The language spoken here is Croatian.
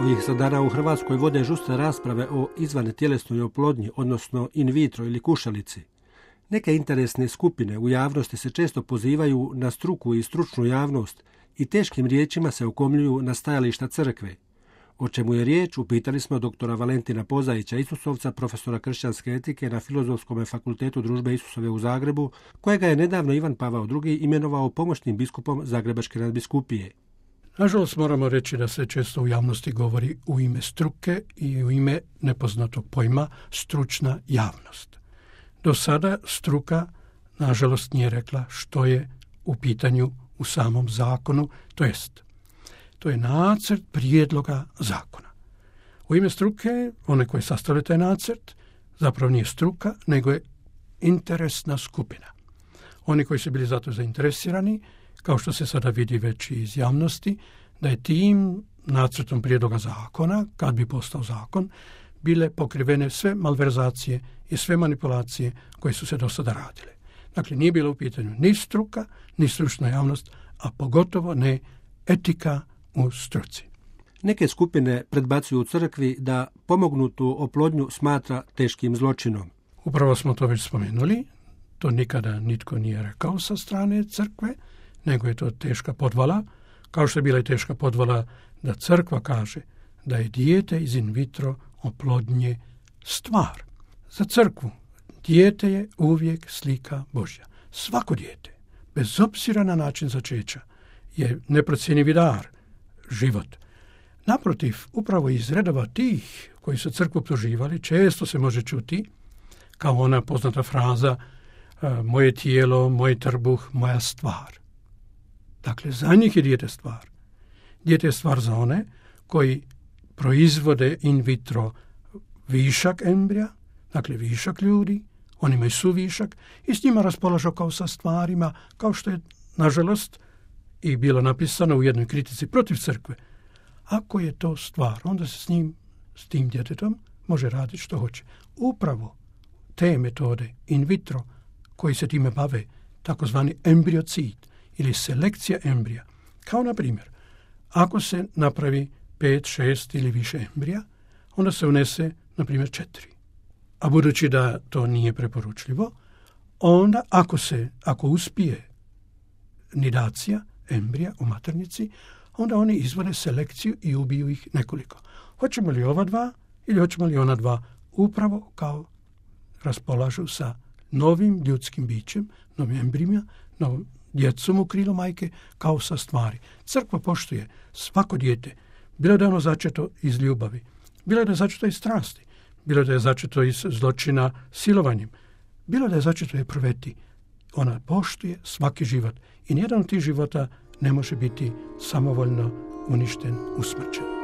Ovih se dana u Hrvatskoj vode žustre rasprave o izvantjelesnoj oplodnji, odnosno in vitro ili kušalici. Neke interesne skupine u javnosti se često pozivaju na struku i stručnu javnost i teškim riječima se okomljuju na stajališta crkve. O čemu je riječ, upitali smo doktora Valentina Pozaića Isusovca, profesora kršćanske etike na Filozofskom fakultetu Družbe Isusove u Zagrebu, kojega je nedavno Ivan Pavao II. Imenovao pomoćnim biskupom Zagrebačke nadbiskupije. Nažalost, moramo reći da se često u javnosti govori u ime struke i u ime nepoznatog pojma stručna javnost. Do sada struka, nažalost, nije rekla što je u pitanju u samom zakonu, to je nacrt prijedloga zakona. U ime struke, one koji sastavljaju taj nacrt, zapravo nije struka, nego je interesna skupina. Oni koji su bili zato zainteresirani, kao što se sada vidi već iz javnosti, da je tim nacrtom prijedloga zakona, kad bi postao zakon, bile pokrivene sve malverzacije i sve manipulacije koje su se do sada radile. Dakle, nije bilo u pitanju ni struka, ni stručna javnost, a pogotovo ne etika u struci. Neke skupine predbacuju u crkvi da pomognutu oplodnju smatra teškim zločinom. Upravo smo to već spomenuli. To nikada nitko nije rekao sa strane crkve, nego je to teška podvala, kao što je bila i teška podvala da crkva kaže da je dijete iz in vitro oplodnje stvar. Za crkvu dijete je uvijek slika Božja. Svako dijete, bez obzira na način začeća, je neprocjenjivi dar, život. Naprotiv, upravo iz redova tih koji su crkvu optuživali, često se može čuti kao ona poznata fraza moje tijelo, moj trbuh, moja stvar. Dakle, za njih je dijete stvar. Dijete je stvar za one koji proizvode in vitro višak embrija, dakle višak ljudi, oni imaju suvišak i s njima raspolažu kao sa stvarima, kao što je, nažalost, i bilo napisano u jednoj kritici protiv crkve. Ako je to stvar, onda se s tim djetetom može raditi što hoće. Upravo te metode in vitro koji se time bave, takozvani embriocid ili selekcija embrija, kao na primjer, ako se napravi 5, 6 ili više embrija, onda se unese, na primjer, 4. A budući da to nije preporučljivo, onda ako uspije nidacija embrija u maternici, onda oni izvode selekciju i ubiju ih nekoliko. Hoćemo li ova dva ili hoćemo li ona dva, upravo kao raspolažu sa novim ljudskim bićem, novim embrijima, novom djecom u krilu majke, kao sa stvari. Crkva poštuje svako dijete, bilo da je ono začeto iz ljubavi, bilo da je začeto iz strasti, bilo da je začeto iz zločina silovanjem, bilo da je začeto je proveti. Ona poštuje svaki život i nijedan od tih života ne može biti samovoljno uništen, usmrćen.